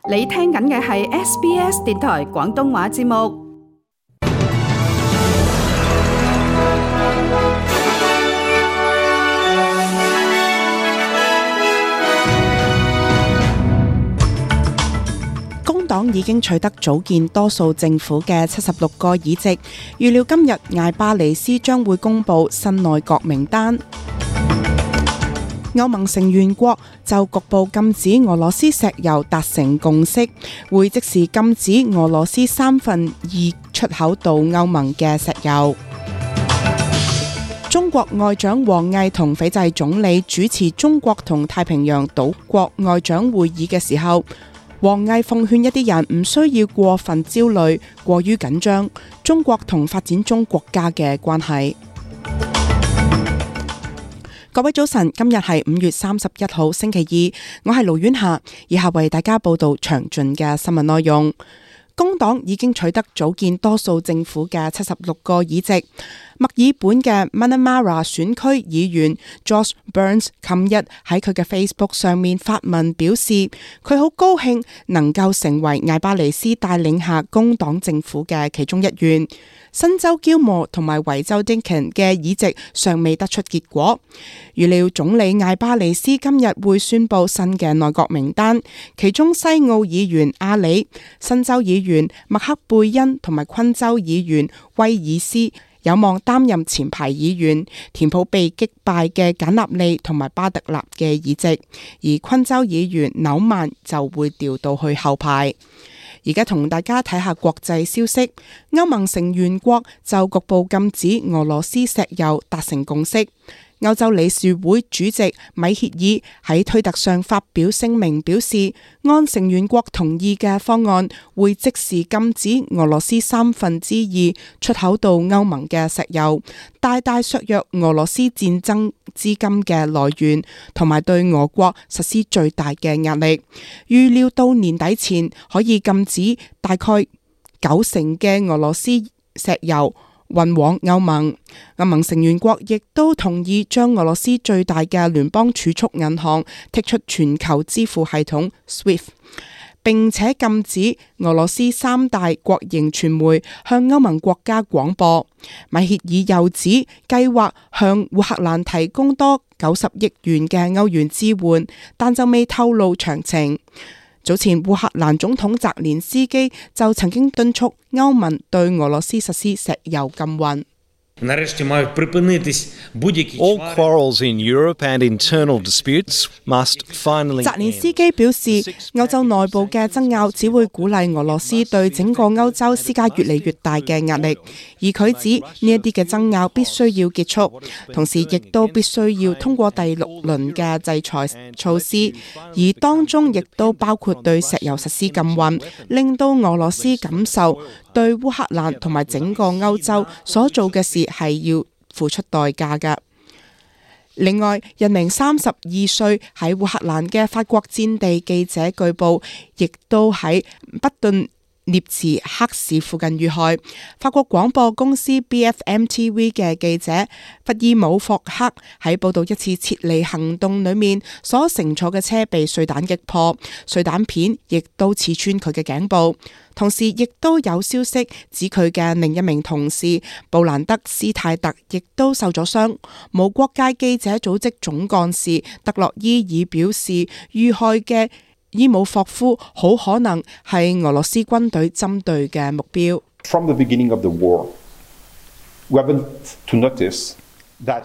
你聽緊嘅係 SBS 電台廣東話節目。工黨已經取得組建多數政府嘅76個議席，預料今日艾巴尼斯將會公布新內閣名單。歐盟成員國就局部禁止俄羅斯石油達成共識，會即時禁止俄羅斯2/3出口到歐盟嘅石油。中國外長王毅同斐濟總理主持中國同太平洋島國外長會議嘅時候，王毅奉勸一啲人唔需要過分焦慮、過於緊張中國同發展中國家嘅關係。各位早晨，今日係5月31號星期二，我係盧婉霞，以下為大家報道詳盡嘅新聞內容。工黨已經取得組建多數政府嘅76個議席。墨爾本嘅 Manamara 選區議員 Josh Burns 琴日喺佢嘅 Facebook 上面發文表示，佢好高興能夠成為艾巴尼斯帶領下工黨政府嘅其中一員。新州 Gilmore 同埋維州 Dinkin 嘅議席尚未得出結果，預料總理艾巴尼斯今日會宣布新嘅內閣名單，其中西澳議員阿里、新州議員麥克貝恩同埋昆州議員威爾斯有望擔任前排議員，填補被擊敗嘅簡納利同埋巴特納嘅議席，而昆州議員紐曼就會調到去後排。而家同大家睇下國際消息，歐盟成員國就局部禁止俄羅斯石油達成共識。歐洲理事會主席米歇爾喺推特上發表聲明，表示按成員國同意嘅方案，會即時禁止俄羅斯2/3出口到歐盟嘅石油，大大削弱俄羅斯戰爭資金嘅來源，同埋對俄國實施最大嘅壓力。預料到年底前可以禁止大概90%嘅俄羅斯石油運往歐盟。歐盟成員國亦都同意將俄羅斯最大嘅聯邦儲蓄銀行剔出全球支付系統 SWIFT， 並且禁止俄羅斯3大國營傳媒向歐盟國家廣播。米歇爾又指計劃向烏克蘭提供多90億元嘅歐元支援，但就未透露詳情。早前烏克蘭總統澤連斯基就曾經敦促歐盟對俄羅斯實施石油禁運。All quarrels in Europe and internal disputes must finally end. 澤連斯基表示，歐洲內部嘅爭拗只會鼓勵俄羅斯對整個歐洲施加越嚟越大嘅壓力，而佢指呢一啲嘅爭拗必須要結束，同時亦都必須要通過第6輪嘅制裁措施，而當中亦都包括對石油實施禁運，令到俄羅斯感受對烏克蘭同埋整個歐洲所做嘅事係要付出代價㗎。另外，一名32歲喺烏克蘭嘅法國戰地記者據報，亦都喺不頓涅茨克市附近遇害。法國廣播公司 BFM TV 嘅記者弗爾姆霍克喺報道一次撤離行動裏面所乘坐嘅車被碎彈擊破，碎彈片亦都刺穿佢嘅頸部。同時亦都有消息指佢嘅另一名同事布蘭德斯泰特亦都受咗傷。無國界記者組織總幹事德洛伊爾表示，遇害嘅伊姆霍夫好可能係俄羅斯軍隊針對嘅目標。From the beginning of the war, we haven't to notice that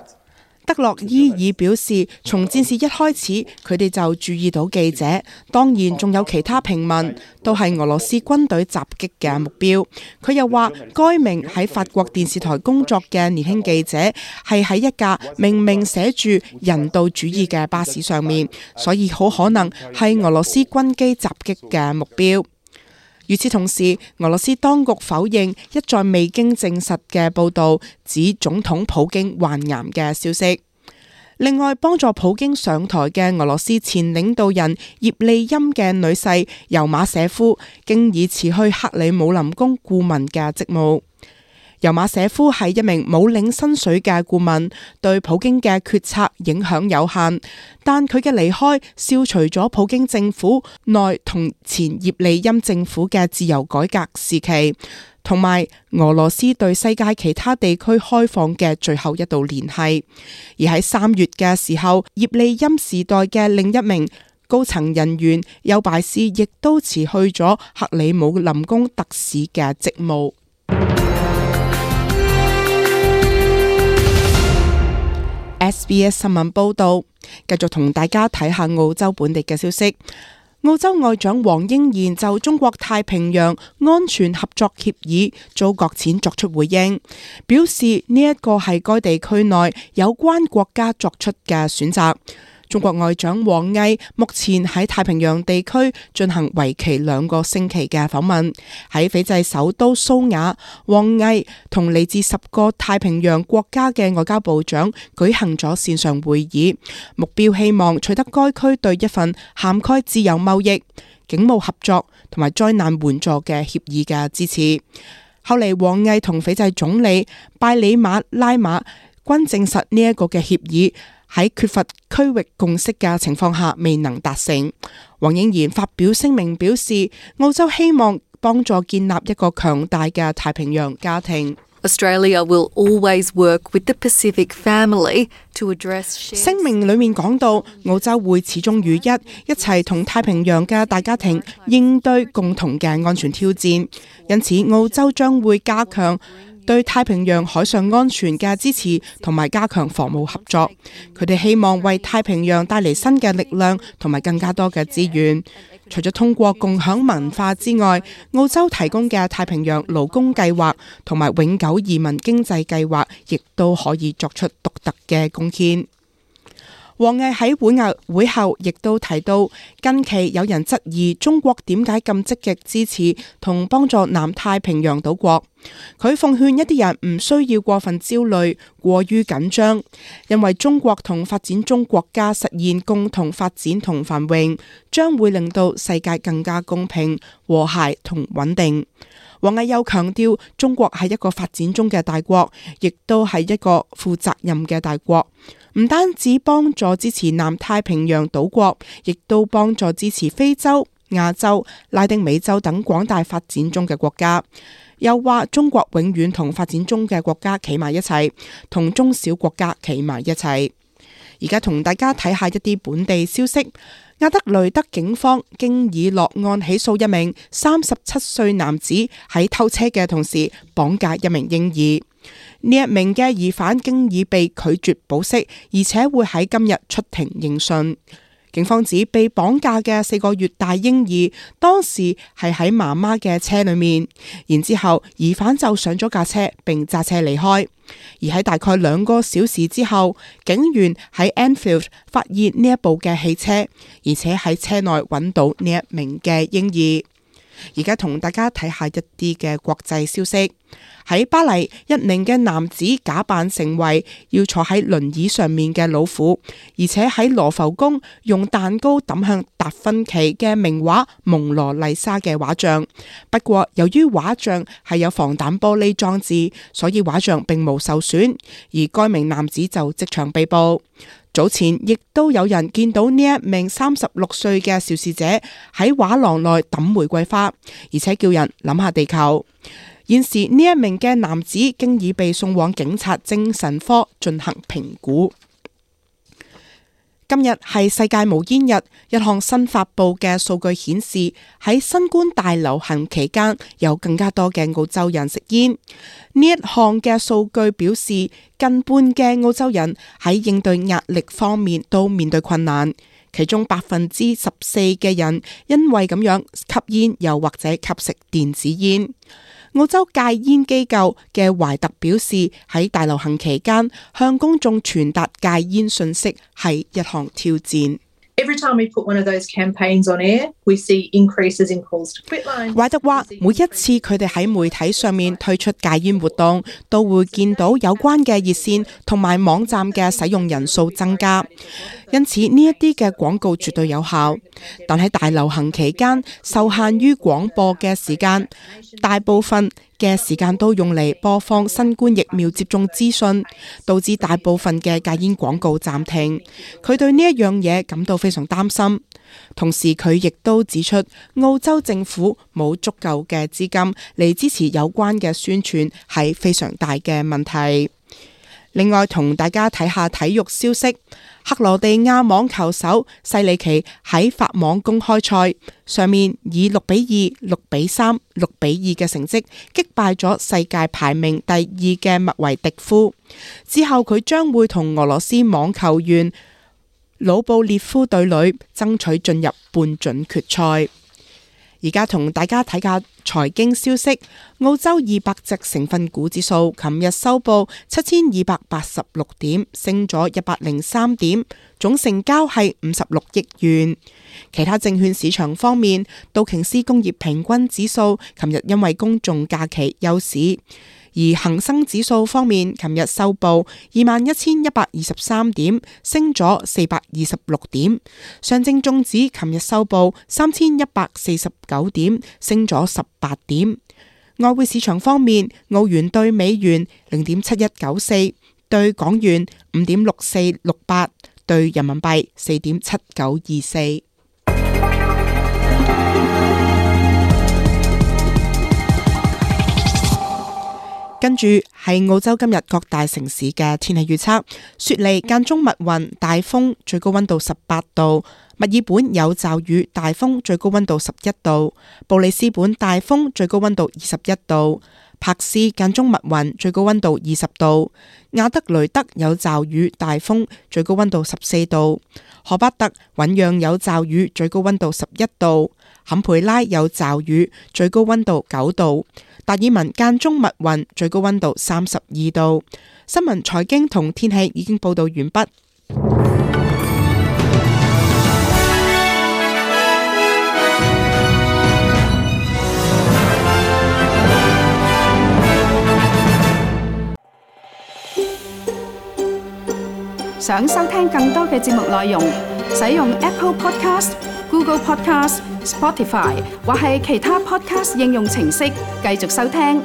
德洛伊爾表示，從戰事一開始，佢哋就注意到記者，當然仲有其他平民，都係俄羅斯軍隊襲擊嘅目標。佢又話，該名喺法國電視台工作嘅年輕記者係喺一架明明寫住人道主義嘅巴士上面，所以好可能係俄羅斯軍機襲擊嘅目標。與此同時，俄羅斯當局否認一再未經證實嘅報導，指總統普京患癌嘅消息。另外，幫助普京上台嘅俄羅斯前領導人葉利欽嘅女婿尤馬舍夫，經已辭去克里姆林宮顧問嘅職務。尤馬舍夫係一名冇領薪水嘅顧問，對普京嘅決策影響有限，但佢嘅離開消除咗普京政府內同前葉利欽政府嘅自由改革時期，同埋俄羅斯對世界其他地區開放嘅最後一道聯繫。而喺3月嘅時候，葉利欽時代嘅另一名高層人員丘拜斯亦都辭去咗克里姆林宮特使嘅職務。SBS 新聞報道，繼續同大家睇下澳洲本地嘅消息。澳洲外長黃英賢就中國太平洋安全合作協議遭擱淺作出回應，表示呢一個係該地區內有關國家作出嘅選擇。中國外長王毅目前喺太平洋地區進行為期2個星期嘅訪問。喺斐濟首都蘇瓦，王毅同嚟自10個太平洋國家嘅外交部長舉行咗線上會議，目標希望取得該區對一份涵蓋自由貿易、警務合作同埋災難援助嘅協議嘅支持。後嚟王毅同斐濟總理拜里馬拉馬均證實呢一個嘅協議喺缺乏區域共識嘅情況下未能達成。黃英賢發表聲明表示，澳洲希望幫助建立一個強大嘅太平洋家庭。Australia will always work with the Pacific family to address. 聲明裏面講到，澳洲會始終如一齊同太平洋嘅大家庭應對共同嘅安全挑戰。因此，澳洲將會加強對太平洋海上安全嘅支持同埋加強防務合作。佢哋希望為太平洋帶嚟新嘅力量同埋更加多嘅資源。除咗通過共享文化之外，澳洲提供嘅太平洋勞工計劃同埋永久移民經濟計劃亦都可以作出獨特嘅貢獻。王毅喺會後亦都提到，近期有人質疑中國點解咁積極支持同幫助南太平洋島國。佢奉勸一啲人唔需要過分焦慮、過於緊張，因為中國同發展中國家實現共同發展同繁榮，將會令到世界更加公平、和諧同穩定。王毅又強調，中國係一個發展中嘅大國，亦都係一個負責任嘅大國，唔單止幫助支持南太平洋島國，亦都幫助支持非洲、亞洲、拉丁美洲等廣大發展中嘅國家。又話中國永遠同發展中嘅國家企埋一齊，同中小國家企埋一齊。而家同大家睇下一啲本地消息。阿德雷德警方經已落案起訴一名37歲男子喺偷車嘅同時綁架一名嬰兒。呢一名嘅疑犯經已被拒絕保釋，而且會喺今日出庭應訊。警方指被綁架嘅4個月大嬰兒當時係喺媽媽嘅車裏面，然之後疑犯就上咗架車並揸車離開。而喺大概2個小時之後，警員喺 Enfield 發現呢一部嘅汽車，而且喺車內揾到呢一名嘅嬰兒。而家同大家睇下一啲嘅國際消息。喺巴黎，一名嘅男子假扮成為要坐喺輪椅上面嘅老虎，而且喺羅浮宮用蛋糕抌向達芬奇嘅名畫《蒙羅麗莎》嘅畫像。不過由於畫像係有防彈玻璃裝置，所以畫像並無受損，而該名男子就即場被捕。早前亦都有人見到呢一名36歲嘅肇事者喺畫廊內抌玫瑰花，而且叫人諗下地球。現時呢一名嘅男子經已被送往警察精神科進行評估。今日係世界無煙日，一項新發佈嘅數據顯示，喺新冠大流行期間，有更加多嘅澳洲人食煙。呢一項嘅數據表示，近半嘅澳洲人喺應對壓力方面都面對困難，其中14%嘅人因為咁樣吸煙，又或者吸食電子煙。澳洲戒煙機構嘅懷特表示，喺大流行期間向公眾傳達戒煙信息係一項挑戰。Every time we put one of those campaigns on air, we see increases in calls to quit lines. 懷特話，每一次佢哋喺媒體上面推出戒煙活動，都會見到有關嘅熱線同埋網站嘅使用人數增加，因此呢一啲嘅廣告絕對有效。但喺大流行期間，受限於廣播嘅時間，大部分嘅時間都用嚟播放新冠疫苗接種資訊，導致大部分嘅戒煙廣告暫停。佢對呢一樣嘢感到非常擔心。同時佢亦都指出，澳洲政府冇足夠嘅資金嚟支持有關嘅宣傳係非常大嘅問題。另外同大家睇下體育消息，克羅地亞網球手西利奇喺法網公開賽上面以6-2、6-3、6-2嘅成績擊敗咗世界排名第2嘅麥維迪夫。之後佢將會同俄羅斯網球員魯布列夫對壘，爭取進入半準決賽。而家同大家睇下財經消息，澳洲200隻成分股指數琴日收報7286點，升咗103點，總成交係56億元。其他證券市場方面，道瓊斯工業平均指數琴日因為公眾假期休市。而恒生指數方面，琴日收報21,123點，升咗426點。上證綜指琴日收報3,149點，升咗18點。外匯市場方面，澳元對美元0.7194，對港元5.6468，對人民幣4.7924。跟住係澳洲今日各大城市嘅天氣預測：雪梨間中密雲，大風，最高溫度18度；墨爾本有驟雨，大風，最高溫度11度；布里斯本大風，最高溫度21度；柏斯間中密雲，最高溫度20度；亞德雷德有驟雨，大風，最高溫度14度；荷巴特醞釀有驟雨，最高溫度11度；坎培拉有驟雨，最高溫度9度；達爾文間中密雲，最高溫度32度。新聞、財經同天氣已經報道完畢。想收聽更多嘅節目內容，使用 Apple Podcast、Google Podcast、Spotify 或係其他 Podcast 應用程式繼續收聽。